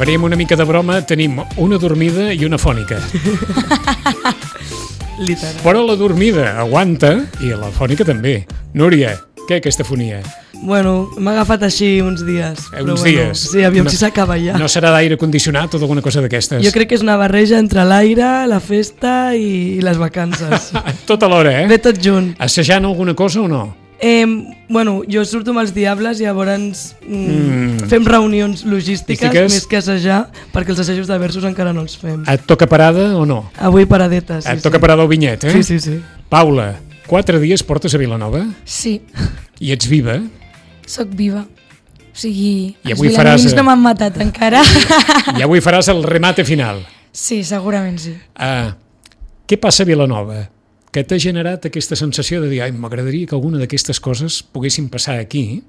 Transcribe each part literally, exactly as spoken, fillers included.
faríem una mica de broma, tenim una dormida i una fònica. Literal. Però la dormida aguanta i la fònica també. Núria, què aquesta fonia? Bueno, m'ha agafat així uns dies. Eh, però uns bueno, dies? Sí, aviam No- si s'acaba ja. No serà d'aire condicionat o d'alguna cosa d'aquestes? Jo crec que és una barreja entre l'aire, la festa i, i les vacances. Tot alhora, eh? Ve tot junt. Assajant alguna cosa o no? Eh, bueno, jo surto amb els Diables i llavors mm, Mm. fem reunions logístiques Logístiques. més que assajar, perquè els assajos de versos encara no els fem. Et toca parada o no? Avui paradetes, sí, Et toca sí. parada al vinyet, eh? Sí, sí, sí. Paula, quatre dies portes a Vilanova Sí, i ets viva. sóc viva. O sigui, I els avui vilanovins faràs, eh? no m'han matat encara. I avui faràs el remate final. Sí, segurament sí. Uh, què passa a Vilanova? Que t'ha generat aquesta sensació de dir ai, m'agradaria que alguna d'aquestes coses poguessin passar aquí?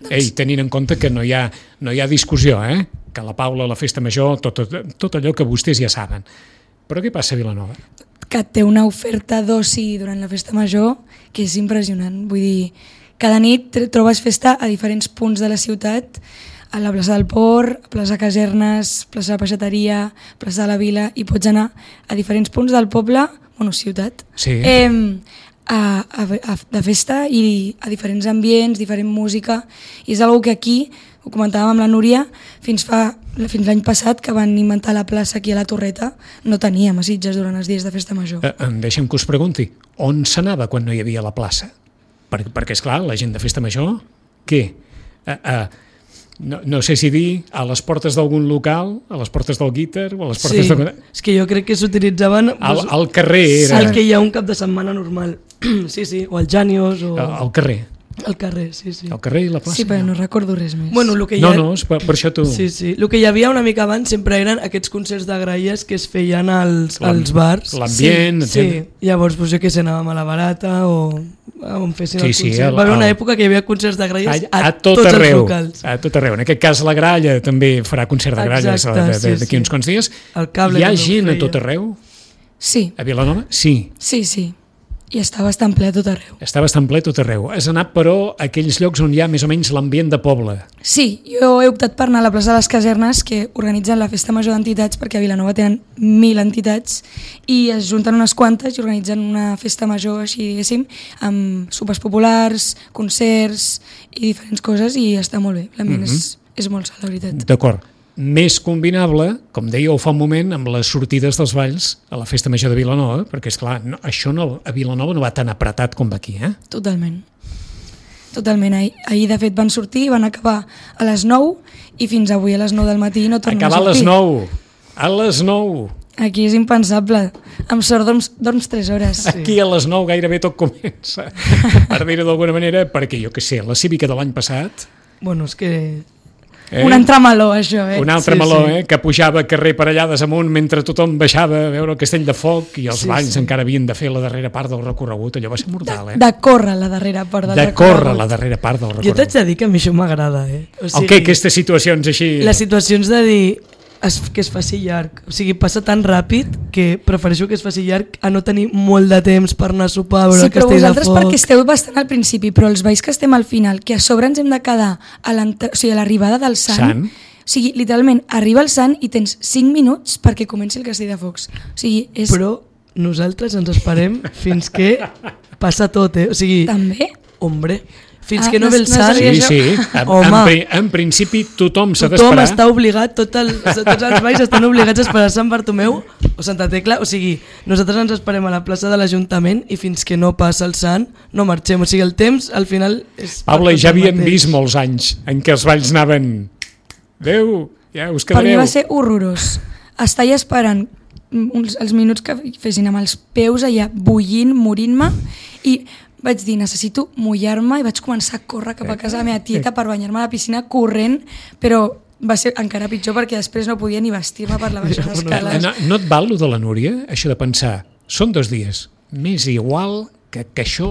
Ei, tenint en compte que no hi ha, no hi ha discussió, eh? Que la Paula, la festa major, tot, tot, tot allò que vostès ja saben. Però què passa a Vilanova? Que té una oferta d'oci durant la festa major que és impressionant. Vull dir, cada nit tr- trobes festa a diferents punts de la ciutat, a la plaça del Port, a plaça Casernes, plaça de la Peixateria, plaça de la Vila, i pots anar a diferents punts del poble, bueno, ciutat, Sí. eh, a, a, a, de festa i a diferents ambients, diferent música, i és una que aquí, ho comentàvem amb la Núria, fins fa fins l'any passat, que van inventar la plaça aquí a la Torreta, no teníem a Sitges durant els dies de festa major. Eh, em deixa'm que us pregunti, on s'anava quan no hi havia la plaça? Per, perquè, esclar, la gent de festa major, què? Eh, eh, no, no sé si dir a les portes d'algun local, a les portes del guitar o a les portes Sí, de... és que jo crec que s'utilitzaven Al, doncs, al carrer era... el que hi ha un cap de setmana normal. Sí, sí, o al Janios o Al, al carrer. al carrer, sí, sí. Al carrer i la plaça. Sí, però no recordo res més. Bueno, el que hi No, ha... no, és per, per això tu... Sí, sí. El que hi havia una mica abans sempre eren aquests concerts de gralles que es feien als, L'am- als bars. l'ambient, sí, etcètera. sí. Llavors, doncs, jo què sé, anàvem a la Barata o on fessin Sí, els sí, concerts. el- Va haver una el- època que hi havia concerts de gralles a, a, a tot tots arreu, els locals. a tot arreu. En aquest cas la Gralla també farà concert de gralles Exacte, de- de- sí, d'aquí sí. uns quants dies. El cable Hi ha també ho gent a feia. tot arreu? Sí, A Vilanova? Sí. sí, sí. I està bastant ple a tot arreu. Està bastant ple tot arreu. Has anat, però, a aquells llocs on hi ha més o menys l'ambient de poble. Sí, jo he optat per anar a la plaça de les Casernes, que organitzen la festa major d'entitats, perquè a Vilanova tenen mil entitats, i es junten unes quantes i organitzen una festa major, així diguéssim, amb sopars populars, concerts i diferents coses, i està molt bé. L'ambient Mhm. és, és molt sa, la veritat. D'acord. Més combinable, com dèieu fa un moment, amb les sortides dels balls a la festa major de Vilanova, perquè, esclar, no, això no, a Vilanova no va tan apretat com va aquí, eh? Totalment. Totalment. Ahir, ahir, de fet, van sortir, van acabar a les nou, i fins avui a les nou del matí no tornen Acabar a a les sortir. nou. A les nou. Aquí és impensable. Amb sort dorms, dorms tres hores. Aquí a les nou gairebé tot comença, per dir-ho d'alguna manera, perquè jo que sé, la cívica de l'any passat... Bueno, és que... Eh? Un entremeló, això, eh? Un altre Sí, meló, sí. eh? Que pujava carrer per allà amunt mentre tothom baixava a veure el castell de foc i els Sí, balls sí. encara havien de fer la darrera part del recorregut. Allò va ser mortal, eh? De córrer la darrera part del De recorregut. córrer la darrera part del Jo t'haig recorregut. de dir que a mi això m'agrada, eh? O El què? Aquestes situacions així... Les situacions de dir es, que es faci llarg. O sigui, passa tan ràpid que prefereixo que es faci llarg a no tenir molt de temps per anar a sopar, a veure Sí, el però castell de vosaltres foc. perquè esteu bastant al principi, però els veïns que estem al final, que a sobre ens hem de quedar a l'entra- o sigui, a l'arribada del Sant, Sant. o sigui, literalment, arriba el Sant i tens cinc minuts perquè comenci el castell de focs. O sigui, és... Però nosaltres ens esperem fins que passa tot, eh? O sigui, També? hombre, fins Ah, que no no- ve el no Sant... sabia Sí, això. sí. En, en, Home. pri- en principi tothom s'ha Tothom d'esperar. està obligat, tot el, tots els balls estan obligats a esperar Sant Bartomeu o Santa Tecla, o sigui, nosaltres ens esperem a la plaça de l'Ajuntament i fins que no passa el Sant no marxem, o sigui, el temps al final és... per Paula, tot ja el havíem mateix. vist molts anys en què els balls anaven... Adéu, ja us Per mi quedareu. va ser horrorós. Estar allà esperant uns, els minuts que fessin amb els peus allà bullint, morint-me, i vaig dir, necessito mullar-me, i vaig començar a córrer cap a casa de la meva tieta per banyar-me a la piscina corrent, però va ser encara pitjor perquè després no podia ni vestir-me per la baixar Ja, escales. No, no et val, lo de la Núria, això de pensar, són dos dies, m'és igual que, que això,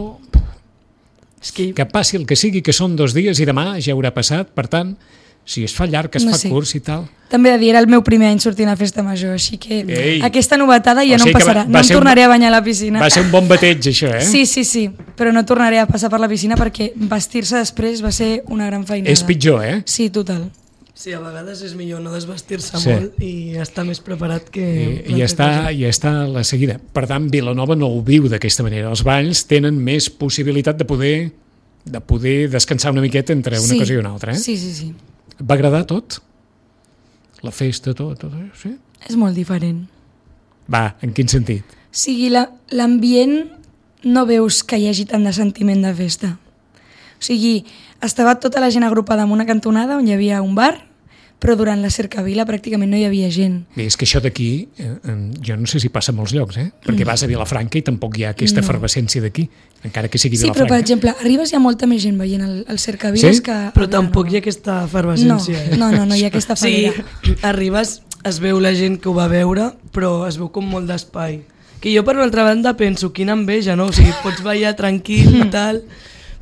És que, que passi el que sigui, que són dos dies i demà ja haurà passat, per tant, si es fa llarg, es No fa sé. curs i tal. També he de dir, era el meu primer any sortint a festa major, així que Ei. aquesta novetada ja O no sigui em que va- passarà. va No em ser un- tornaré a banyar a la piscina. Va ser un bon bateig, això, eh? Sí, sí, sí, però no tornaré a passar per la piscina perquè vestir-se després va ser una gran feinada. És pitjor, eh? Sí, total. Sí, a vegades és millor no desvestir-se Sí. molt i estar més preparat que... I, i, està, i està a la seguida. Per tant, Vilanova no ho viu d'aquesta manera. Els balls tenen més possibilitat de poder, de poder descansar una miqueta entre una Sí. cosa i una altra. Eh? Sí, sí, sí. Et va agradar tot? La festa, tot? tot eh? Sí? És molt diferent. Va, en quin sentit? O sigui, la- l'ambient no veus que hi hagi tant de sentiment de festa. O sigui, estava tota la gent agrupada en una cantonada on hi havia un bar, però durant la cercavila pràcticament no hi havia gent. Bé, és que això d'aquí, eh, eh, jo no sé si passa a molts llocs, eh? Perquè vas a Vilafranca i tampoc hi ha aquesta No. efervescència d'aquí, encara que sigui Sí, però Vilafranca. per exemple, arribes hi ha molta més gent veient el, el cercaviles Sí? que... a Però tampoc hi Vilanova. ha aquesta No, efervescència. eh? no, no, no hi ha aquesta Sí, falera. arribes, es veu la gent que ho va veure, però es veu com molt d'espai. Que jo, per una altra banda, penso, quina enveja, no? O sigui, pots ballar tranquil i tal,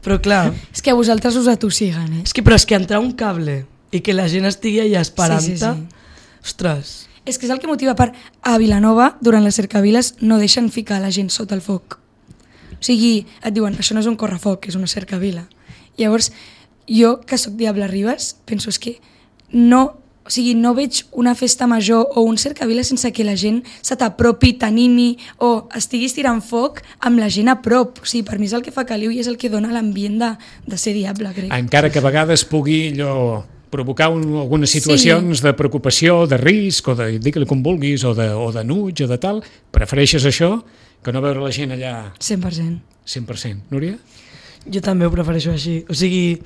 però clar, És que a vosaltres us atossiguen, eh? és que, però és que entrar un cable i que la gent estigui allà esperant-te, Sí, sí, sí. ostres, És que és el que motiva per... A Vilanova, durant les cercaviles, no deixen ficar la gent sota el foc. O sigui, et diuen, això no és un correfoc, és una cercavila. Llavors, jo, que sóc Diable Ribes, penso és que no... O sigui, no veig una festa major o un cercavila sense que la gent se t'apropi, t'animi o estiguis tirant foc amb la gent a prop. O sigui, per mi és el que fa caliu i és el que dona l'ambient de, de ser Diable, crec. Encara que a vegades pugui allò provocar un, algunes situacions sí. de preocupació, de risc, o de, digue-li com vulguis, o de, o de nuig, o de tal, prefereixes això que no veure la gent allà cent per cent. cent per cent. Núria? jo també ho prefereixo així. O sigui,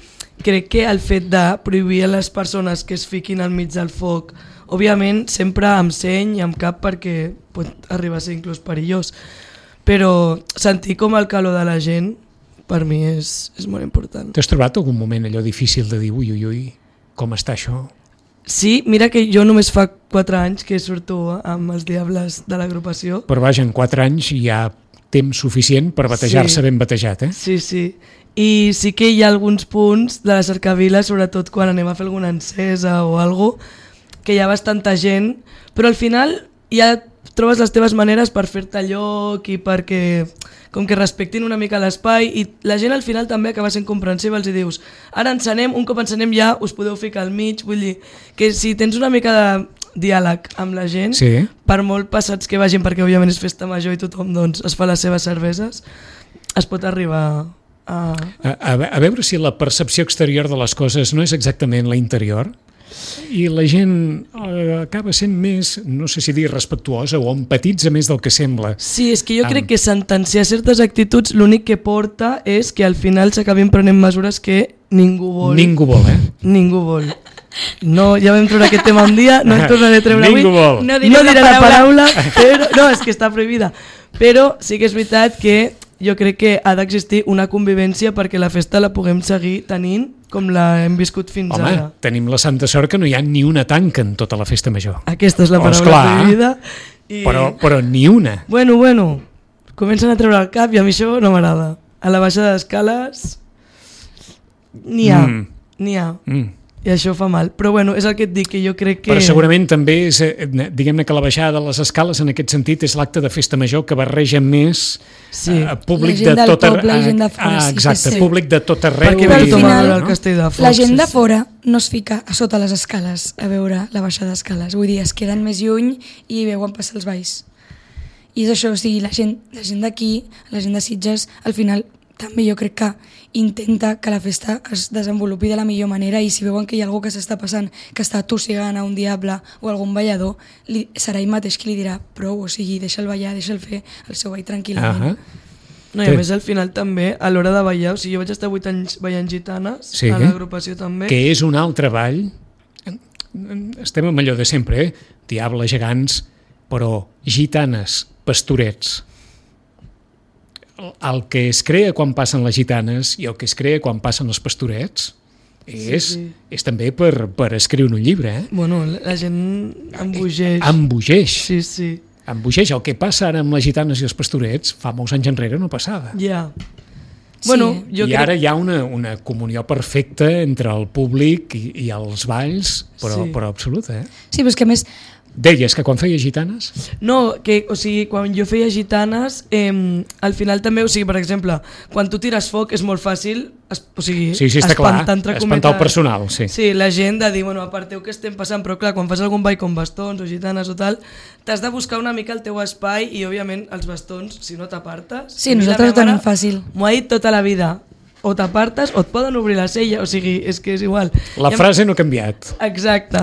crec que el fet de prohibir a les persones que es fiquin al mig del foc, òbviament sempre amb seny i amb cap perquè pot arribar a ser inclús perillós, però sentir com el calor de la gent per mi és, és molt important. T'has trobat algun moment allò difícil de dir ui, ui, ui, com està això? Sí, mira que jo només fa quatre anys que surto amb els Diables de l'agrupació. Però vaja, en quatre anys hi ha temps suficient per batejar-se Sí. ben batejat, eh? Sí, sí. I sí que hi ha alguns punts de la cercavila, sobretot quan anem a fer alguna encesa o alguna cosa, que hi ha bastanta gent, però al final ja trobes les teves maneres per fer-te lloc i perquè com que respectin una mica l'espai i la gent al final també acaba sent comprensiva, els hi dius, ara encenem, un cop encenem ja us podeu ficar al mig, vull dir que si tens una mica de diàleg amb la gent, Sí. per molt passats que vagin, perquè òbviament és festa major i tothom doncs, es fa les seves cerveses, es pot arribar a... A, a, a veure si la percepció exterior de les coses no és exactament la interior i la gent eh, acaba sent més, no sé si dir respectuosa o empatitza més del que sembla. Sí, és que jo Am. crec que sentenciar certes actituds l'únic que porta és que al final s'acabin prenent mesures que ningú vol. Ningú vol, eh? Ningú vol. No, ja vam treure aquest tema un dia, no en tornaré a treure Ningú avui. vol. No No diré diré la la paraula. paraula, però, no, és que està prohibida. Però sí que és veritat que jo crec que ha d'existir una convivència perquè la festa la puguem seguir tenint com la hem viscut fins Home, ara. tenim la santa sort que no hi ha ni una tanca en tota la festa major. Aquesta és la Oh, paraula esclar. prohibida. I... Però, però ni una. Bueno, bueno, comencen a treure el cap i a mi això no m'agrada. A la baixada d'escales n'hi ha, Mm. n'hi ha. Mm. I això fa mal. Però bueno, és el que et dic, que jo crec que... Però segurament també és, eh, diguem-ne que la baixada de les escales en aquest sentit és l'acte de festa major que barreja més Sí. eh, públic La gent de del tot arreu. poble i gent de fora, Ah, sí que exacte, sí. públic de tot arreu. Perquè Però ve al tothom a final, veure el castell de focs. La gent sí, de sí. fora no es fica a sota les escales a veure la baixada d'escales. Vull dir, es queden més lluny i veuen passar els balls. I és això, o sigui, la gent, la gent d'aquí, la gent de Sitges, al final també jo crec que intenta que la festa es desenvolupi de la millor manera i si veuen que hi ha algú que s'està passant, que està tossigant a un diable o algun ballador, li, serà ell mateix qui li dirà prou, o sigui, deixa'l ballar, deixa'l fer el seu ball tranquil·lament. Ah, No, i a més al final també, a l'hora de ballar, o sigui, jo vaig estar vuit anys ballant gitanes, Sí. a l'agrupació també. que és un altre ball. Estem amb allò de sempre, eh? Diables, gegants, però gitanes, pastorets. El, el que es crea quan passen les gitanes i el que es crea quan passen els pastorets és, Sí, sí. és també per, per escriure un llibre, eh? Bueno, la la gent embogeix. Embogeix. Sí, sí. Embogeix. El que passa ara amb les gitanes i els pastorets fa molts anys enrere no passava. Ja. Sí, Bueno, eh? jo I crec... ara hi ha una, una comunió perfecta entre el públic i, i els balls, però, Sí. però absoluta, eh? Sí, però és que a més Deies que quan feia gitanes... No, que, o sigui, quan jo feia gitanes, eh, al final també, o sigui, per exemple, quan tu tires foc és molt fàcil, es, o sigui, sí, sí, està espantar, clar, entre espantar el personal, sí. Sí, la gent de dir, bueno, aparteu què estem passant, però clar, quan fas algun ball com bastons o gitanes o tal, t'has de buscar una mica el teu espai i, òbviament, els bastons, si no t'apartes... Sí, nosaltres ho tenim fàcil. M'ho ha dit tota la vida, o t'apartes o et poden obrir la cella, o sigui, és que és igual. La I frase no ha canviat. Exacte.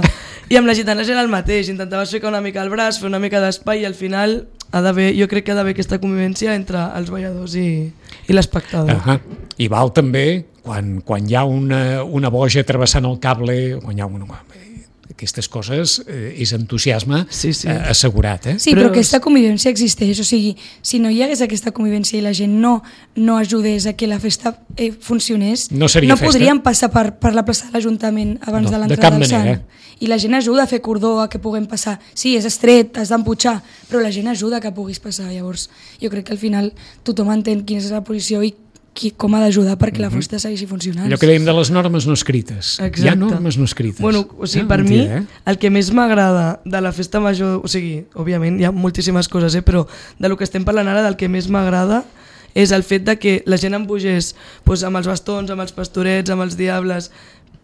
I amb les gitanes era el mateix, intentaves ficar una mica el braç, fer una mica d'espai i al final ha d'haver, jo crec que ha d'haver aquesta convivència entre els balladors i, i l'espectador. Uh -huh. I val també quan, quan hi ha una, una boja travessant el cable, quan hi ha una... aquestes coses eh, és entusiasme sí, sí. Eh, assegurat. Eh? Sí, però, però aquesta convivència existeix, o sigui, si no hi hagués aquesta convivència i la gent no, no ajudés a que la festa eh, funcionés, no, no podríem passar per, per la plaça de l'Ajuntament abans no, de l'entrada del Sant. I la gent ajuda a fer cordó, a que puguem passar. Sí, és estret, has d'emputxar, però la gent ajuda a que puguis passar. Llavors, jo crec que al final tothom entén quina és la posició i qui, com ha d'ajudar perquè la festa segueixi funcionant. Allò que dèiem de les normes no escrites. Exacte. Hi ha normes no escrites. Bueno, o sigui, ah, per mi, eh? el que més m'agrada de la festa major, o sigui, òbviament hi ha moltíssimes coses, eh, però de lo que estem parlant ara, del que més m'agrada és el fet de que la gent embogés doncs, amb els bastons, amb els pastorets, amb els diables,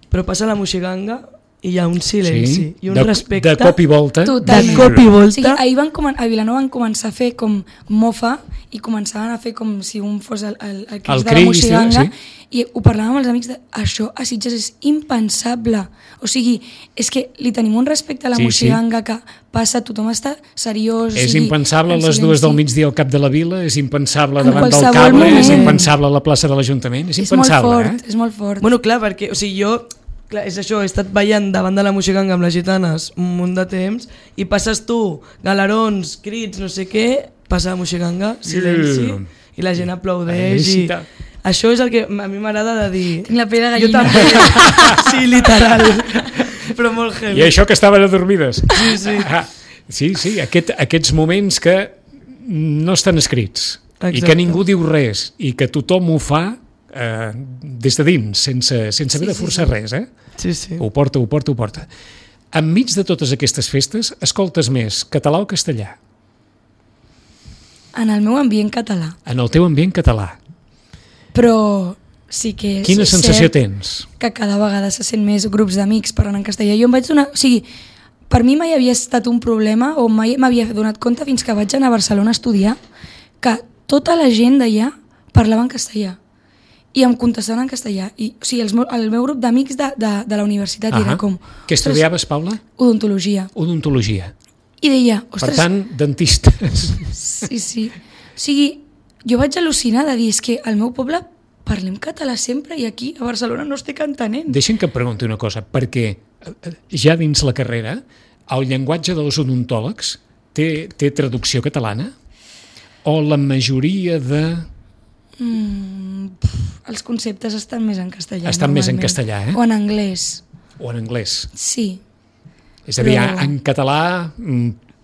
però passa la moixiganga i hi ha un silenci sí, i un de, respecte. De cop i volta. Totalment. De cop i volta. O sigui, ahir van a Vilanova van començar a fer com mofa i començaven a fer com si un fos el, el, el cris el de la moixiganga sí. i ho parlàvem amb els amics de això a Sitges és impensable. O sigui, és que li tenim un respecte a la sí, moixiganga sí. que passa, tothom està seriós. És o sigui, impensable a les silenci. dues del migdia al cap de la vila, és impensable en davant del cable, moment. és impensable a la plaça de l'Ajuntament, és, és impensable. Molt fort, eh? És molt fort. Bueno, clar, perquè o sigui, jo clar, és això, he estat ballant davant de la moixiganga amb les gitanes un munt de temps i passes tu, galerons, crits, no sé què, passa la moixiganga, silenci, mm. i la gent aplaudeix i... Això és el que a mi m'agrada de dir... Tinc la pell de gallina. Jo també, sí, literal, però molt heavy. I això que estaven adormides. Sí, sí. Ah, sí, sí, aquest, aquests moments que no estan escrits. Exacte. I que ningú diu res i que tothom ho fa eh, des de dins, sense, sense haver sí, de forçar sí, sí. res, eh? Sí, sí. Ho porta, ho porta, ho porta. Enmig de totes aquestes festes, escoltes més català o castellà? En el meu ambient català. En el teu ambient català. Però sí que és Quina sensació cert tens? Que cada vegada se sent més grups d'amics parlant en castellà. Jo em vaig donar... O sigui, per mi mai havia estat un problema o mai m'havia donat compte fins que vaig anar a Barcelona a estudiar que tota la gent d'allà parlava en castellà i em contestaven en castellà. I, o sigui, el meu, el meu grup d'amics de, de, de la universitat uh-huh. era com... Què estudiaves, Paula? Odontologia. Odontologia. I deia... Ostres, per tant, dentistes. Sí, sí. O sigui, jo vaig al·lucinar de dir, és que al meu poble parlem català sempre i aquí a Barcelona no estic entenent. Deixa'm que et pregunti una cosa, perquè ja dins la carrera el llenguatge dels odontòlegs té, té traducció catalana? O la majoria de... Mm, pff, els conceptes estan més en castellà. Estan més en castellà, eh? O en anglès. O en anglès. Sí. És a dir, Però... en català...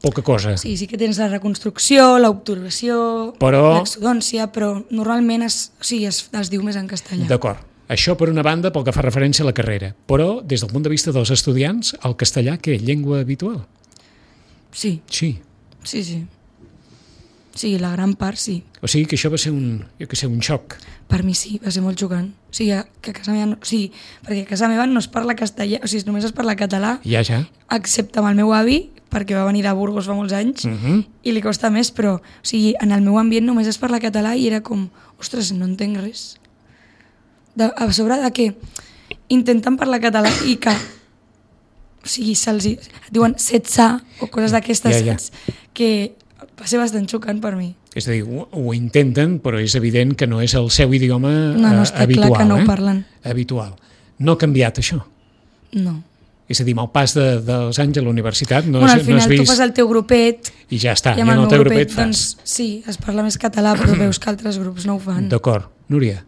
poca cosa. Sí, sí que tens la reconstrucció, l'obturació, però... l'exodòncia, però normalment es, o sigui, es, es diu més en castellà. D'acord. Això per una banda pel que fa referència a la carrera, però des del punt de vista dels estudiants, el castellà què? Llengua habitual? Sí. Sí. Sí, sí. Sí, la gran part sí. O sigui que això va ser un, jo que sé, un xoc. Per mi sí, va ser molt xocant. O sigui, que a casa meva no, o sigui, perquè a casa meva no es parla castellà, o sigui, només es parla català, ja, ja. excepte amb el meu avi, perquè va venir de Burgos fa molts anys, uh-huh. i li costa més, però o sigui, en el meu ambient només es parla català i era com, ostres, no entenc res. De, a sobre de que intenten parlar català i que o sigui, se'ls diuen setze o coses d'aquestes ja, ja. que va ser bastant xocant per mi. És a dir, ho, ho intenten, però és evident que no és el seu idioma no, no està eh, habitual. Clar que no eh? ho parlen. Habitual. No ha canviat això? No. És a dir, amb el pas de, dels anys a la universitat no, bueno, has, al final no has vist... tu fas el teu grupet i ja està, i ja en el teu grupet, grupet doncs, fas. Sí, es parla més català, però veus que altres grups no ho fan. D'acord. Núria?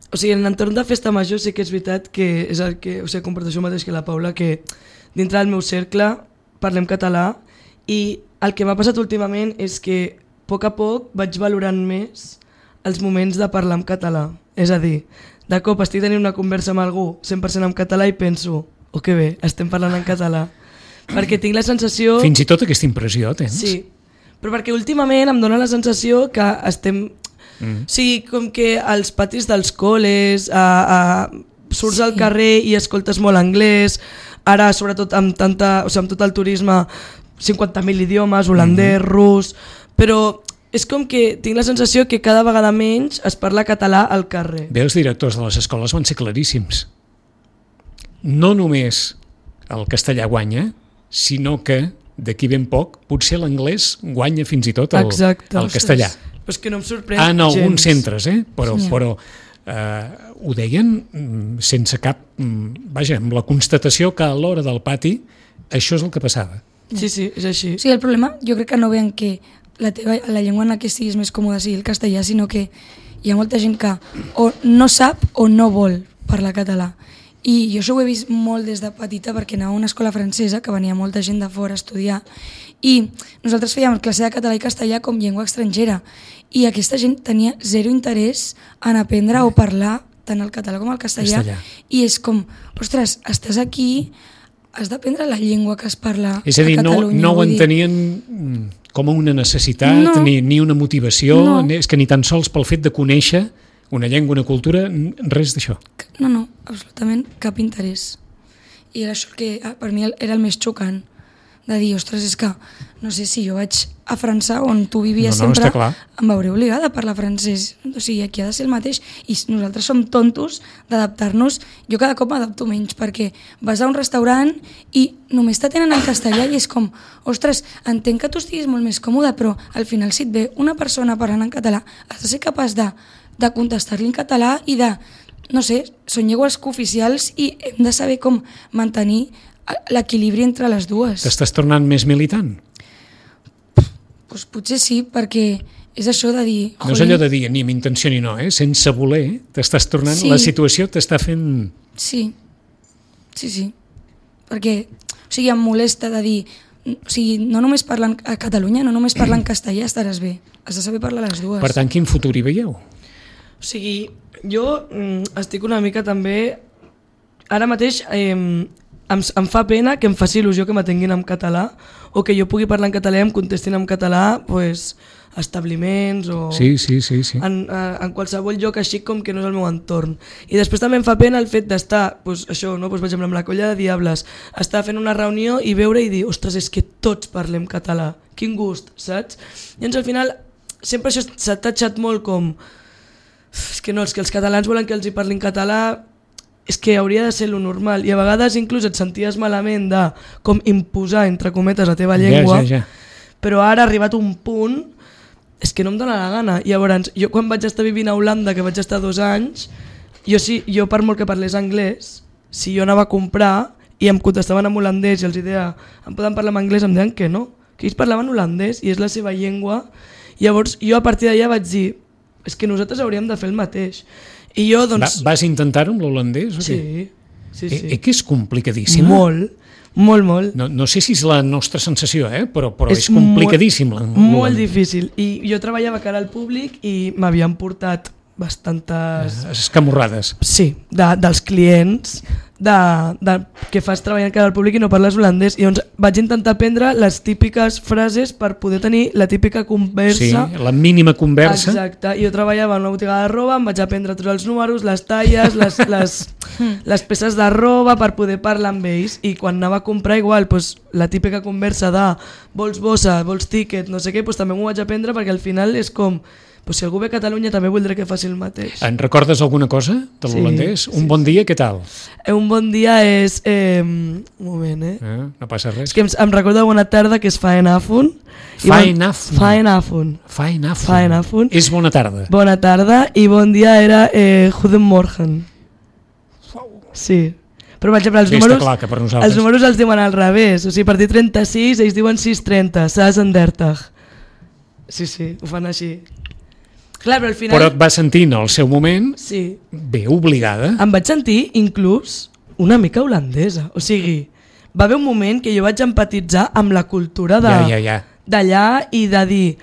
O sigui, en l'entorn de festa major sí que és veritat que és el que, o sigui, comparto això mateix que la Paula, que dintre del meu cercle parlem català i el que m'ha passat últimament és que a poc a poc vaig valorant més els moments de parlar en català. És a dir, de cop estic tenint una conversa amb algú cent per cent en català i penso, oh que bé, estem parlant en català. perquè tinc la sensació... Fins i tot aquesta impressió tens? Sí, però perquè últimament em dóna la sensació que estem... Mm. O sigui, com que als patis dels col·les, a, a, surts sí. al carrer i escoltes molt anglès, ara sobretot amb, tanta, o sigui, amb tot el turisme, cinquanta mil idiomes, holandès, mm-hmm. rus, però és com que tinc la sensació que cada vegada menys es parla català al carrer. Bé, els directors de les escoles van ser claríssims. No només el castellà guanya, sinó que d'aquí ben poc potser l'anglès guanya fins i tot el, Exacte, el castellà. Però és que no em sorprèn en gens. alguns centres, eh? però, Sí. però eh, ho deien mm, sense cap... Mm, vaja, amb la constatació que a l'hora del pati això és el que passava. Sí, sí, és així. O sigui, el problema jo crec que no veuen que la, teva, la llengua en la que estiguis més còmode sigui el castellà, sinó que hi ha molta gent que o no sap o no vol parlar català. I jo això ho he vist molt des de petita perquè anava a una escola francesa que venia molta gent de fora a estudiar i nosaltres fèiem classe de català i castellà com llengua estrangera i aquesta gent tenia zero interès en aprendre o parlar tant el català com el castellà, castellà. I és com, ostres, estàs aquí, has d'aprendre la llengua que es parla És a dir, a no, Catalunya. no ho vull dir. entenien com a una necessitat, No. ni, ni una motivació, No. és que ni tan sols pel fet de conèixer una llengua, una cultura, res d'això. No, no, absolutament cap interès. I era això que ah, per mi era el més xocant, de dir, ostres, és que no sé si jo vaig a França on tu vivies No, no, sempre, està clar. em veuré obligada a parlar francès. O sigui, aquí ha de ser el mateix. I nosaltres som tontos d'adaptar-nos. Jo cada cop m'adapto menys perquè vas a un restaurant i només t'atenen en castellà i és com, ostres, entenc que tu estiguis molt més còmode, però al final si et ve una persona parlant en català, has de ser capaç de, de contestar-li en català i de, no sé, són llengües cooficials i hem de saber com mantenir l'equilibri entre les dues. T'estàs tornant més militant? Pues potser sí, perquè és això de dir... No és allò de dir ni amb intenció ni no, eh? Sense voler, t'estàs tornant, Sí. la situació t'està fent... Sí, sí, sí. Perquè, o sigui, em molesta de dir... O sigui, no només parlant a Catalunya, no només parlant castellà estaràs bé. Has de saber parlar les dues. Per tant, quin futur hi veieu? O sigui, jo mm, estic una mica també... Ara mateix eh, em, em fa pena que em faci il·lusió que m'atenguin en català o que jo pugui parlar en català i em contestin en català pues, establiments o Sí, sí, sí. sí. en, en qualsevol lloc així com que no és el meu entorn. I després també em fa pena el fet d'estar, pues, això, no? pues, per exemple, amb la colla de Diables, estar fent una reunió i veure i dir, ostres, és que tots parlem català, quin gust, saps? I llavors al final sempre això s'ha tatxat molt com és que no, és que els catalans volen que els hi parlin català, és que hauria de ser lo normal i a vegades inclús et senties malament de com imposar entre cometes la teva llengua, Ja, ja, ja. però ara ha arribat un punt és que no em dóna la gana. I llavors, jo quan vaig estar vivint a Holanda, que vaig estar dos anys, jo, sí, jo per molt que parlés anglès, si jo anava a comprar i em contestaven en holandès i els deia, em poden parlar en anglès, em deien que no, que ells parlaven holandès i és la seva llengua. I llavors jo a partir d'allà vaig dir, és que nosaltres hauríem de fer el mateix. I jo, doncs... Va, vas intentar-ho amb l'holandès? O sí, què? sí, sí. Eh, eh, que és complicadíssim. Molt, molt, molt. No, no sé si és la nostra sensació, eh? però, però és, és complicadíssim. Molt, molt difícil. I jo treballava cara al públic i m'havien portat bastantes... Escamorrades. Sí, de, dels clients de, de, que fas treballant cara al públic i no parles holandès. I llavors vaig intentar aprendre les típiques frases per poder tenir la típica conversa. Sí, la mínima conversa. Exacte. I jo treballava en una botiga de roba, em vaig aprendre tots els números, les talles, les, les, les peces de roba per poder parlar amb ells. I quan anava a comprar igual, doncs, la típica conversa de vols bossa, vols tiquet, no sé què, doncs, també m'ho vaig aprendre perquè al final és com... Pues si algú ve a Catalunya també voldré que faci el mateix. En recordes alguna cosa de l'holandès? Sí, un sí, bon dia, què tal? Un bon dia és... Eh, un moment, eh? eh? No passa res. És que em, em recorda bona tarda, que és Faenafun. Faenafun. Faenafun. Faenafun. Faenafun. És bona tarda. Bona tarda i bon dia era eh, Goedemorgen. Sí. Però per exemple, els Sí, números, està clar que per nosaltres. els números els diuen al revés. O sigui, per dir trenta-sis, ells diuen sis trenta, zesendertig. Sí, sí, ho fan així. Clar, però al final... Però et vas sentir en el seu moment sí. bé obligada. Em vaig sentir inclús una mica holandesa. O sigui, va haver un moment que jo vaig empatitzar amb la cultura de Ja, ja, ja. d'allà i de dir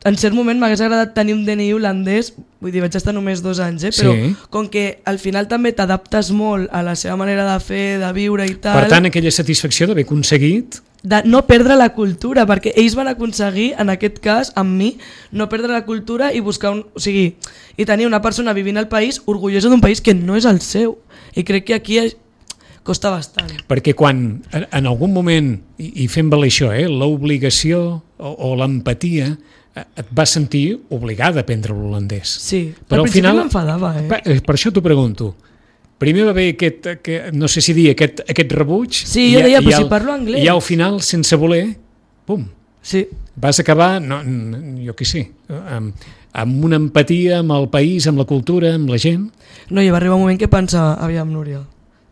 en cert moment m'hagués agradat tenir un D N I holandès, vull dir, vaig estar només dos anys, eh? Però Sí. com que al final també t'adaptes molt a la seva manera de fer, de viure i tal, Per tant, aquella satisfacció d'haver aconseguit... de no perdre la cultura, perquè ells van aconseguir, en aquest cas, amb mi, no perdre la cultura i buscar un... O sigui, i tenir una persona vivint al país orgullosa d'un país que no és el seu. I crec que aquí costa bastant. Perquè quan, en algun moment, i, i fem valer això, eh, l'obligació o, o l'empatia, et vas sentir obligada a aprendre l'holandès. Sí, però al al principi final m'enfadava, eh? Per, per això t'ho pregunto. Primer va haver aquest, aquest, no sé si dir, aquest, aquest rebuig. Sí, jo i, deia, i però al, si parlo anglès. I al final, sense voler, pum, Sí, vas acabar, no, jo què sé, amb, amb una empatia amb el país, amb la cultura, amb la gent. no, i va arribar un moment que pensava, aviam, Núria,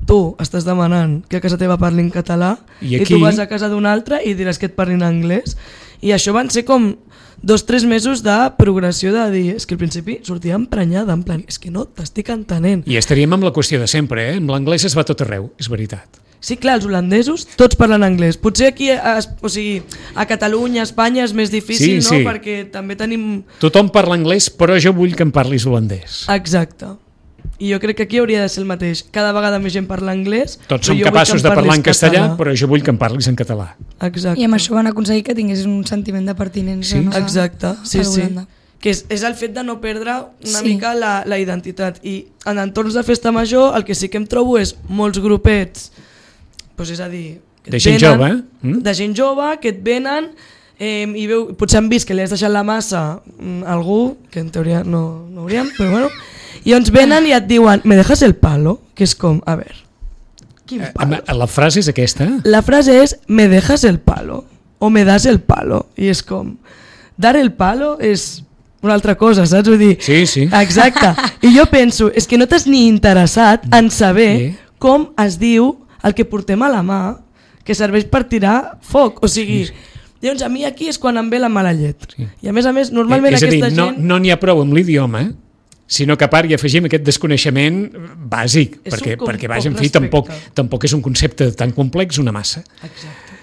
tu estàs demanant que a casa teva parlin català I i, aquí- tu vas a casa d'un altre i diràs que et parlin anglès. I això van ser com dos tres mesos de progressió de dir, és que al principi sortia emprenyada, en plan, és que no t'estic entenent. I estaríem amb la qüestió de sempre, eh? Amb l'anglès es va tot arreu, és veritat. Sí, clar, els holandesos tots parlen anglès. Potser aquí, a, o sigui, a Catalunya, a Espanya és més difícil, Sí, no? sí. Perquè també tenim... Tothom parla anglès, però jo vull que em parlis holandès. Exacte. I jo crec que aquí hauria de ser el mateix. Cada vegada més gent parla anglès, Tots però som jo vull capaços que de em parlar en parlis castellà, català. però jo vull que em parlis en català. Exacte. I amb això van aconseguir que tingués un sentiment de pertinença. Sí. No? Exacte, sí, a sí. Holanda. Que és, és el fet de no perdre una Sí. mica la, la identitat. I en entorns de festa major el que sí que em trobo és molts grupets, doncs és a dir... que et De gent venen- jove, eh? Mm? De gent jove que et venen eh, i veu, potser han vist que li has deixat la massa mm, a algú, que en teoria no, no hauríem, però bueno, i ens venen i et diuen, ¿me dejas el palo? Que és com, a veure, quin Eh, palo? La frase és aquesta. La frase és, ¿me dejas el palo? O me das el palo? I és com, dar el palo és una altra cosa, saps? Vull dir, Sí, sí. exacte. I jo penso, és que no t'has ni interessat en saber Sí. com es diu el que portem a la mà, que serveix per tirar foc. O sigui, Sí, llavors a mi aquí és quan em ve la mala llet. Sí. I a més a més, normalment és a dir, aquesta no gent... no n'hi ha prou amb l'idioma, sinó que a part hi afegim aquest desconeixement bàsic, És perquè, un com- perquè vaja, en poc fi, tampoc, respecte. tampoc és un concepte tan complex, una massa. Exacte.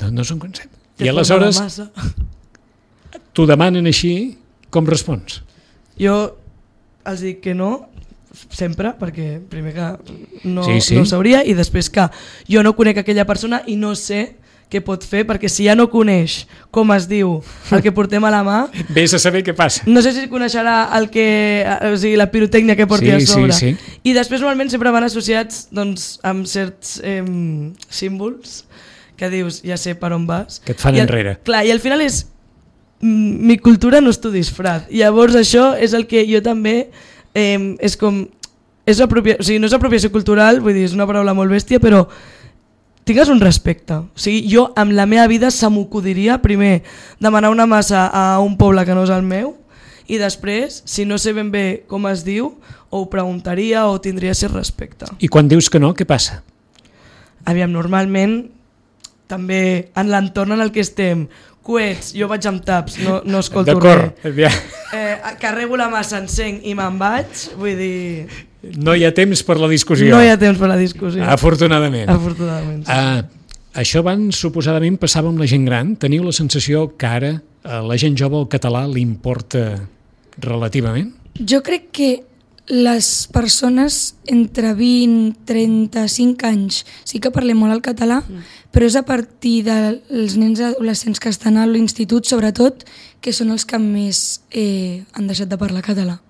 No, no és un concepte. Que I forma aleshores la massa. t'ho demanen així, com respons? Jo els dic que no, sempre, perquè primer que no, Sí, sí. no ho sabria, i després que jo no conec aquella persona i no sé què pot fer, perquè si ja no coneix com es diu el que portem a la mà, Vés a saber què passa. no sé si coneixerà el que, o sigui, la pirotècnia que porti Sí, a sobre. sí, sí. I després normalment sempre van associats doncs, amb certs eh, símbols que dius, ja sé per on vas. Que et fan I al, enrere. Clar, i al final és mm, mi cultura no és tu disfraz. Llavors això és el que jo també eh, és com és apropia, o sigui, no és apropiació cultural, vull dir, és una paraula molt bèstia, però tingues un respecte. O sigui, jo amb la meva vida se m'acudiria primer demanar una massa a un poble que no és el meu i després, si no sé ben bé com es diu, o ho preguntaria o tindria cert respecte. I quan dius que no, què passa? Aviam, normalment també en l'entorn en el que estem, coets, jo vaig amb taps, no, no escolto D'acord, res. ja. Eh, carrego la massa, encenc i me'n vaig, vull dir, No hi ha temps per la discussió. no hi ha temps per la discussió. Afortunadament. Afortunadament. Sí. Uh, això abans suposadament passava amb la gent gran. Teniu la sensació que ara a la gent jove el català li importa relativament? Jo crec que les persones entre vint i trenta-cinc anys sí que parlem molt el català, mm. però és a partir dels nens adolescents que estan a l'institut, sobretot, que són els que més eh, han deixat de parlar català.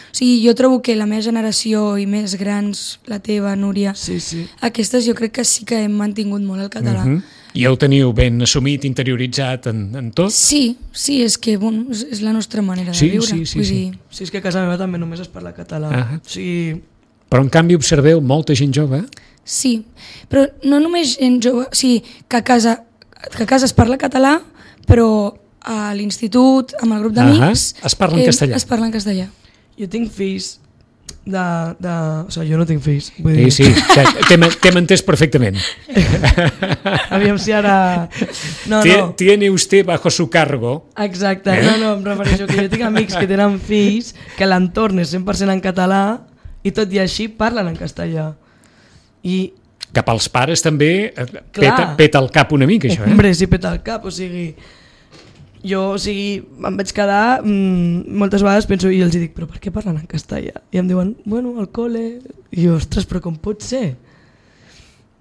O sigui, jo trobo que la meva generació i més grans, la teva, Núria, Sí, sí. aquestes jo crec que sí que hem mantingut molt el català. Uh -huh. I el teniu ben assumit, interioritzat en, en tot? Sí, sí, és que bueno, és, és la nostra manera Sí, de viure. sí, sí, Vull sí. dir, Sí, és que a casa meva també només es parla català. Ah. O sigui, Però en canvi observeu molta gent jove. sí, però no només gent jove, o sigui, que a casa, que a casa es parla català, però a l'institut, amb el grup d'amics... Ahà, es parla en castellà. Es parla en castellà. jo tinc fills de... de... O sigui, jo no tinc fills. Vull Sí, dir, sí, t'hem t'hem entès perfectament. aviam si ara... No, Tie- no. Tiene usted bajo su cargo. Exacte, Eh? no, no, em refereixo que jo tinc amics que tenen fills que l'entorn és cent per cent en català i tot i així parlen en castellà. I, Cap als pares també eh, Clar. peta, peta el cap una mica, això, eh? hombre, si peta el cap, o sigui... jo, o sigui, em vaig quedar, mmm, moltes vegades penso, i els dic, però per què parlen en castellà? I em diuen, bueno, al col·le, i jo, ostres, però com pot ser?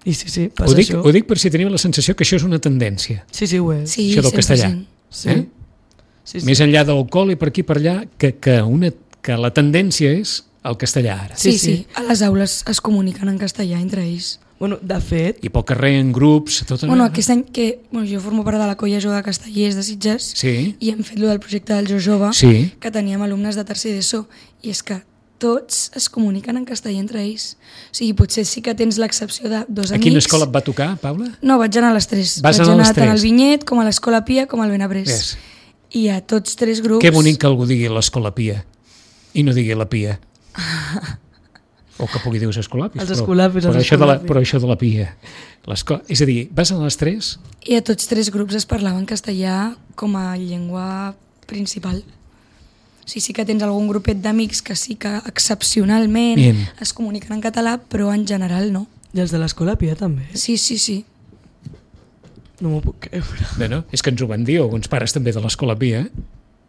I sí, sí, passa ho dic, això. Ho dic per si teniu la sensació que això és una tendència. Sí, sí, ho és. Sí, això del castellà. Sí. Eh? Sí, sí. Més enllà del col·le, per aquí per allà, que, que, una, que la tendència és el castellà ara. Sí, Sí, sí, sí. a les aules es comuniquen en castellà entre ells. Bueno, de fet, I pel carrer, en grups... Tot Bueno, aquest any que bueno, jo formo part de la colla jove de castellers de Sitges Sí, i hem fet lo del projecte del Jo Jove, sí. que teníem alumnes de tercer d'ESO, i és que tots es comuniquen en castellà entre ells. O sigui, potser sí que tens l'excepció de dos A amics. quina escola et va tocar, Paula? No, vaig anar a les tres. Vas vaig anar a les anar tant tres. al Vinyet, com a l'Escola Pia, com al Benabrés. Ves. I a tots tres grups... Que bonic que algú digui l'Escola Pia i no digui la Pia. O que pugui dir els escolapis. Els però- escolapis, però, els això de la, escolapis. però això de la Pia. L'esco- És a dir, vas a les tres? I a tots tres grups es parlava en castellà com a llengua principal. O sigui, sí que tens algun grupet d'amics que sí que excepcionalment Bien. es comuniquen en català, però en general no. i els de l'escola Pia també. Sí, sí, sí. No m'ho puc creure. No, no, és que ens ho van dir alguns pares també de l'Escola Pia.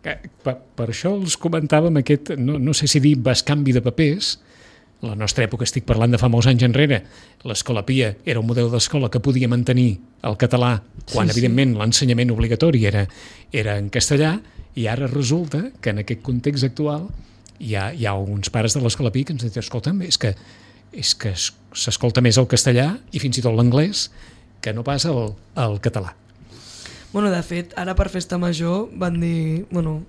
Que, per, per això els comentàvem aquest, no, no sé si dir bescanvi de papers. A la nostra època, estic parlant de fa molts anys enrere, l'Escola Pia era un model d'escola que podia mantenir el català quan, Sí, sí. evidentment, l'ensenyament obligatori era, era en castellà, i ara resulta que en aquest context actual hi ha, hi ha alguns pares de l'Escola Pia que ens diuen, escolta'm, és que, és que es- s'escolta més el castellà i fins i tot l'anglès que no pas el, el català. Bueno, de fet, ara per Festa Major van dir... Bueno,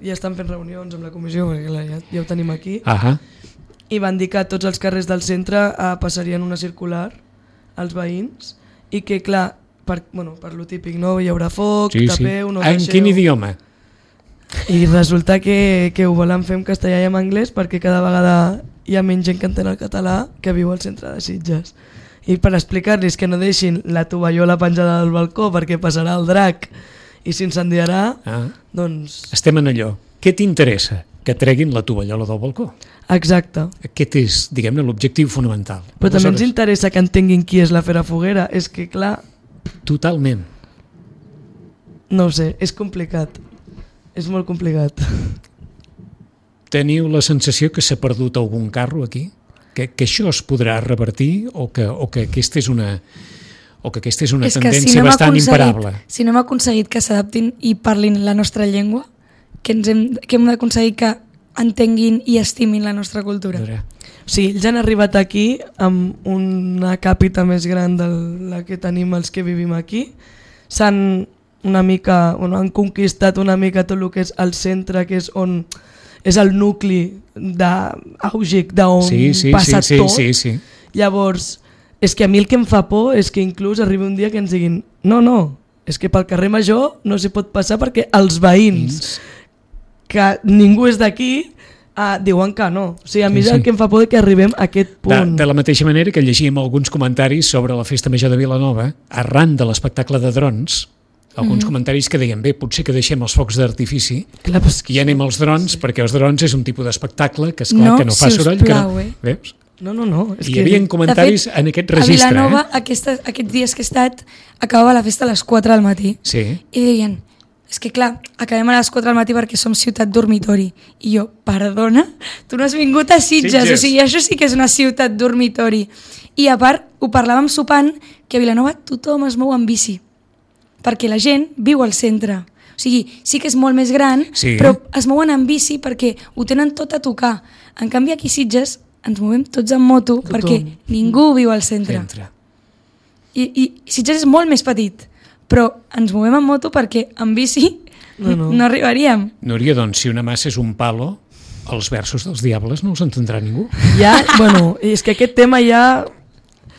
ja estan fent reunions amb la comissió, perquè clar, ja, ja ho tenim aquí, Ahà. i van dir que a tots els carrers del centre eh, passarien una circular als veïns i que, clar, per, bueno, per lo típic, no? Hi haurà foc, Sí, sí. tapeu, no En deixeu... quin idioma? I resulta que, que ho volen fer en castellà i en anglès perquè cada vegada hi ha menys gent que entén el català que viu al centre de Sitges. I per explicar-los que no deixin la tovallola penjada del balcó perquè passarà el drac i s'incendiarà, Ah, doncs... estem en allò. Què t'interessa? Que treguin la tovallola del balcó. Exacte. Aquest és, diguem-ne, l'objectiu fonamental. Però també ens Aleshores, interessa que entenguin qui és la Fera Foguera. És que, clar, Totalment. no ho sé, és complicat. És molt complicat. Teniu la sensació que s'ha perdut algun carro aquí? Que, que això es podrà revertir o que, o que aquesta és una, o que aquesta és una és que tendència si no hem bastant aconseguit- imparable? Si no hem aconseguit que s'adaptin i parlin la nostra llengua, que, ens hem, que hem d'aconseguir que entenguin i estimin la nostra cultura. O sigui, ells han arribat aquí amb una càpita més gran de la que tenim els que vivim aquí. S'han una mica, bueno, han conquistat una mica tot el que és el centre, que és on és el nucli d'àugic, d'on Sí, sí, passa sí, sí, tot. sí, sí. Llavors, és que a mi el que em fa por és que inclús arribi un dia que ens diguin no, no, és que pel carrer Major no s'hi pot passar perquè els veïns, que ningú és d'aquí, uh, diuen que no. O sigui, a mi Sí, és el sí. que em fa por de que arribem a aquest De, punt. de la mateixa manera que llegíem alguns comentaris sobre la Festa Major de Vilanova, arran de l'espectacle de drons, alguns mm. comentaris que deien, bé, potser que deixem els focs d'artifici Clar, però és i anem als drons, sí. perquè els drons és un tipus d'espectacle que, esclar, No, que no fa si us soroll. Que no, plau, eh? veus? No, no, no. És Hi que... havia comentaris De fet, en aquest a registre. Vilanova, Eh? aquesta, aquests dies que he estat, acabava la festa a les quatre del matí. Sí. I deien, és que clar, acabem a les quatre del matí perquè som ciutat dormitori. I jo, perdona? Tu no has vingut a Sitges, Sitges. o sigui, això sí que és una ciutat dormitori. I a part, ho parlàvem sopant, que a Vilanova tothom es mou en bici, perquè la gent viu al centre. O sigui, sí que és molt més gran, Sí. però es mouen en bici perquè ho tenen tot a tocar. En canvi, aquí a Sitges ens movem tots en moto Tothom. perquè ningú viu al centre. Entra. I, i Sitges és molt més petit, però ens movem en moto perquè en bici No, no, no. no arribaríem. Núria, doncs, si una massa és un palo, els versos dels diables no els entendrà ningú. Ja, bueno, és que aquest tema ja...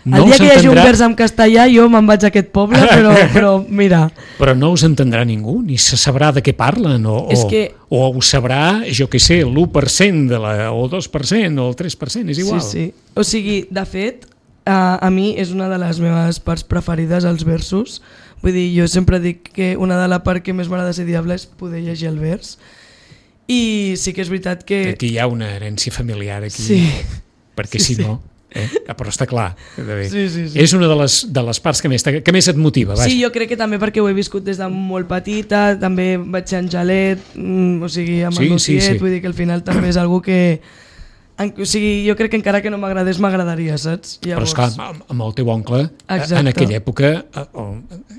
No el dia els que hi hagi un entendrà, vers en castellà jo me'n vaig a aquest poble, però, però mira, però no us entendrà ningú, ni se sabrà de què parlen, o, És o, que- o ho sabrà, jo què sé, l'u per cent de la, o el dos per cent o el tres per cent, és igual. sí, sí. O sigui, de fet, a, a mi és una de les meves parts preferides, els versos. Vull dir, jo sempre dic que una de la part que més m'agrada ser diable és poder llegir el vers. I sí que és veritat que... Aquí hi ha una herència familiar, aquí, Sí. perquè Sí, si sí. no... Eh? Però està clar. Sí, sí, sí. És una de les, de les parts que més, que més et motiva. Vaja. Sí, jo crec que també perquè ho he viscut des de molt petita, també vaig ser Angelet, mm, o sigui, amb sí, el meu sí, tiet, sí. vull dir que al final també és algú que... En, o sigui, jo crec que encara que no m'agradés, m'agradaria, saps? Llavors... Però esclar, amb, amb el teu oncle, Exacte. En aquella època,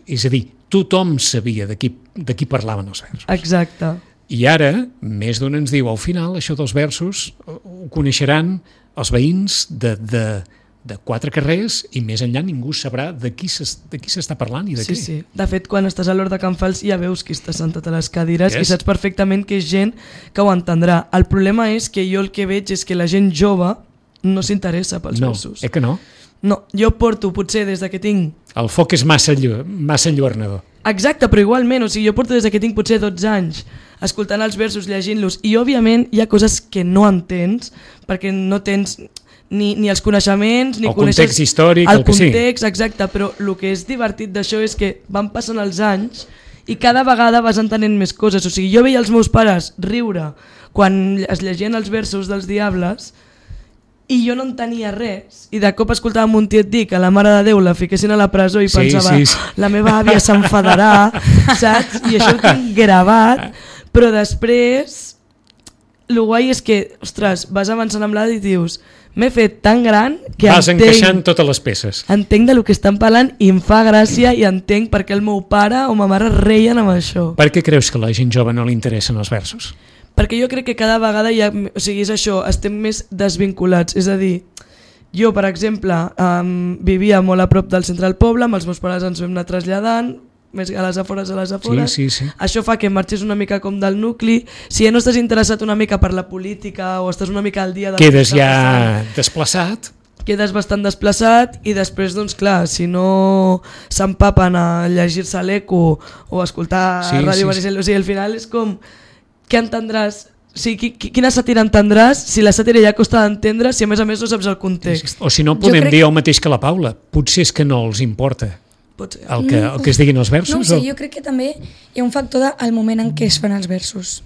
és a dir, tothom sabia de qui, de qui parlaven els versos. Exacte. I ara, més d'un ens diu, al final, això dels versos ho coneixeran els veïns de, de, de quatre carrers i més enllà ningú sabrà de qui s'està parlant i de sí, què. Sí. De fet, quan estàs a l'hora de Can Fals ja veus qui està sentat a les cadires yes. i saps perfectament que és gent que ho entendrà. El problema és que jo el que veig és que la gent jove no s'interessa pels no, versos. No, eh que no? No, jo porto potser des de que tinc... El foc és massa, llu massa enlluernador. Exacte, però igualment, o sigui, jo porto des de que tinc potser dotze anys escoltant els versos, llegint-los, i òbviament hi ha coses que no entens perquè no tens ni, ni els coneixements, ni el coneixes... context històric, el, el que sí. context, exacte, però el que és divertit d'això és que van passant els anys i cada vegada vas entenent més coses. O sigui, jo veia els meus pares riure quan es llegien els versos dels Diables i jo no entenia res, i de cop escoltava un tiet dir que la Mare de Déu la fiquessin a la presó i sí, pensava, sí, sí. la meva àvia s'enfadarà, saps? I això ho tinc gravat, però després el guai és que, ostres, vas avançant amb l'edat i dius, m'he fet tan gran que vas entenc, encaixant totes les peces. Entenc de lo que estan parlant i em fa gràcia i entenc per què el meu pare o ma mare reien amb això. Per què creus que a la gent jove no li interessen els versos? Perquè jo crec que cada vegada hi ha, o sigui, és això, estem més desvinculats, és a dir, jo per exemple um, vivia molt a prop del centre del poble, amb els meus pares ens vam anar traslladant, més a les afores a les afores, sí, sí, sí. Això fa que marxis una mica com del nucli, si ja no estàs interessat una mica per la política o estàs una mica al dia... De quedes ja passant, desplaçat. Quedes bastant desplaçat i després, doncs clar, si no s'empapen a llegir-se l'Eco o escoltar sí, Ràdio Maricel, sí, sí. O sigui, al final és com... Què entendràs? O sigui, quina sàtira entendràs si la sàtira ja costa d'entendre si a més a més no saps el context? O si no podem crec... dir el mateix que la Paula, potser és que no els importa el que, el que es diguin els versos? No ho sé, o... jo crec que també hi ha un factor del moment en què es fan els versos.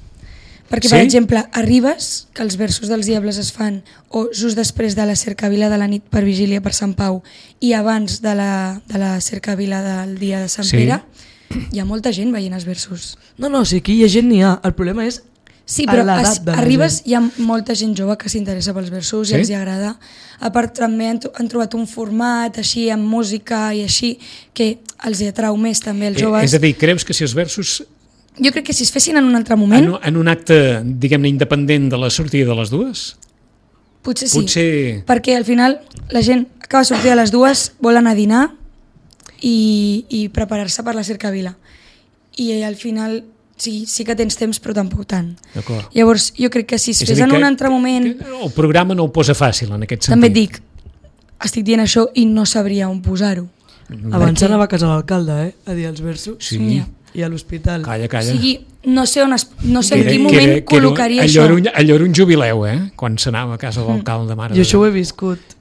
Perquè, sí? Per exemple, arribes que els versos dels Diables es fan o just després de la cercavila de la nit per vigília per Sant Pau i abans de la, de la cercavila del dia de Sant sí. Pere, hi ha molta gent veient els versos. No, no, o sigui, aquí hi ha gent n'hi ha. El problema és sí, però es, arribes, hi ha molta gent jove que s'interessa pels versos sí? I els hi agrada. A part també han, han trobat un format així amb música i així que els hi atrau més també als joves. Eh, és a dir, creus que si els versos... Jo crec que si es fessin en un altre moment... En, en un acte, diguem-ne, independent de la sortida de les dues? Potser sí, Potser... perquè al final la gent acaba de sortir a les dues, vol anar a dinar i, i preparar-se per la cercavila. I al final sí, sí que tens temps, però tampoc tant. Llavors, jo crec que si es fes en un altre moment... El programa no ho posa fàcil, en aquest sentit. També et dic, estic dient això i no sabria on posar-ho. Abans perquè... anava a casa l'alcalde, eh? A dir els versos. Sí. sí. I a l'hospital. Calla, calla. O sigui, no sé, on es, no sé en quin moment que era, que col·locaria allò això. Era un, allò era un jubileu, eh? Quan s'anava a casa de l'alcalde. Mare jo això ho he viscut.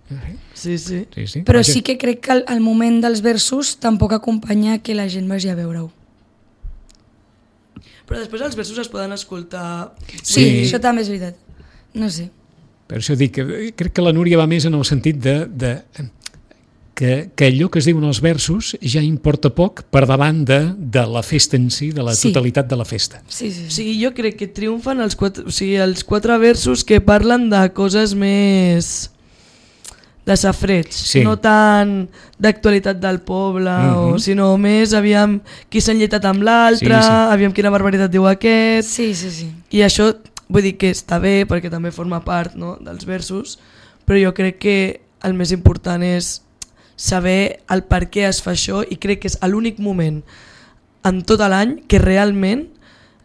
Sí, sí. sí, sí. Però sí que crec que el, el moment dels versos tampoc acompanya que la gent vagi a veure-ho. Però després els versos es poden escoltar... Sí, sí, això també és veritat. No sé. Per això dic que crec que la Núria va més en el sentit de... de que, que allò que es diuen els versos ja importa poc per davant de, de la festa en si, de la sí. totalitat de la festa. Sí, sí, sí. O sigui, jo crec que triomfen els quatre, o sigui, els quatre versos que parlen de coses més de safreig, sí. no tant d'actualitat del poble, mm-hmm. o, sinó més aviam qui s'ha enlletat amb l'altre, sí, sí. aviam quina barbaritat diu aquest, sí, sí, sí. I això vull dir que està bé perquè també forma part, no, dels versos, però jo crec que el més important és saber el per què es fa això i crec que és l'únic moment en tot l'any que realment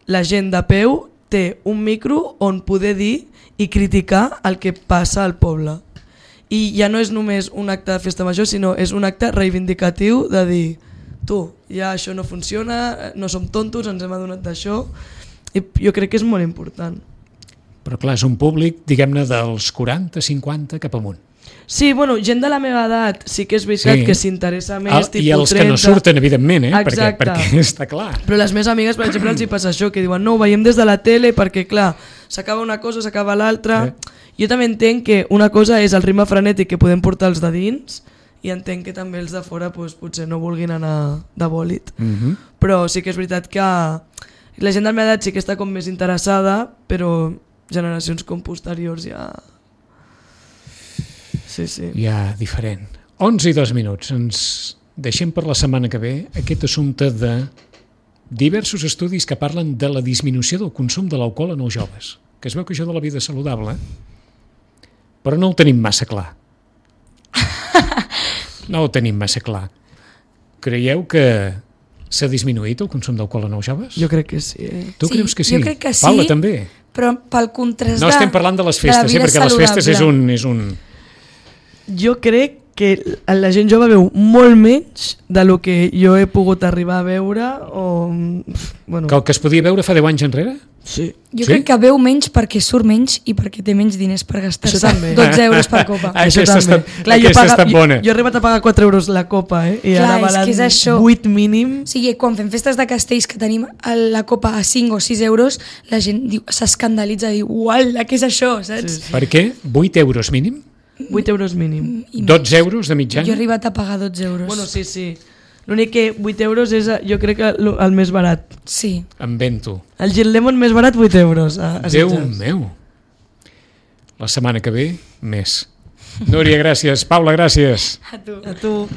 la gent de peu té un micro on poder dir i criticar el que passa al poble. I ja no és només un acte de festa major, sinó és un acte reivindicatiu de dir tu, ja això no funciona, no som tontos, ens hem adonat d'això, i jo crec que és molt important. Però clar, és un públic, diguem-ne, dels quaranta, cinquanta cap amunt. Sí, bueno, gent de la meva edat sí que és veritat sí. que s'interessa més, el, tipus i els trenta... que no surten, evidentment, eh? perquè, Exacte. perquè està clar. Però les meves amigues, per exemple, els hi passa això, que diuen no, ho veiem des de la tele perquè, clar, s'acaba una cosa, s'acaba l'altra, eh. Jo també entenc que una cosa és el ritme frenètic que podem portar els de dins i entenc que també els de fora doncs, potser no vulguin anar de bòlit. Mm-hmm. Però sí que és veritat que la gent de la meva edat sí que està com més interessada, però generacions com posteriors ja... Sí, sí. Ja diferent. onze i dos minuts. Ens deixem per la setmana que ve aquest assumpte de diversos estudis que parlen de la disminució del consum de l'alcohol en els joves. Que es veu que això de la vida saludable, però no ho tenim massa clar. No ho tenim massa clar. Creieu que s'ha disminuït el consum d'alcohol en els joves? Jo crec que sí. Eh? Tu Sí, creus que sí? jo crec que sí. Paula, també? Però pel contrast No de, estem parlant de les de la festes, eh? vida Perquè les festes és saludable. un... És un... Jo crec que la gent jove veu molt menys de lo que jo he pogut arribar a veure o... Bueno, Que el que es podia veure fa deu anys enrere? sí. Jo Sí? crec que veu menys perquè surt menys i perquè té menys diners per Això gastar-se també. dotze euros per copa. Ah, Això aquesta també. està- Clar, jo aquesta paga- està bona. Jo, jo he arribat a pagar quatre euros la copa, eh? I Clar, ara és valen que és això. vuit mínim. O sigui, quan fem festes de castells que tenim el- la copa a cinc o sis euros, la gent diu- s'escandalitza i diu, uala, què és això, saps? Sí, sí. Per què? vuit euros mínim? vuit euros mínim. I dotze euros de Jo he mitjana? arribat a pagar dotze euros. Bueno, sí, sí. L'únic que vuit euros és, jo crec, que el, el més barat. Sí. Em vento. El Gin Lemon més barat, vuit euros. A, a Déu Sitges. meu. La setmana que ve, més. Núria, gràcies. Paula, gràcies. A tu. A tu.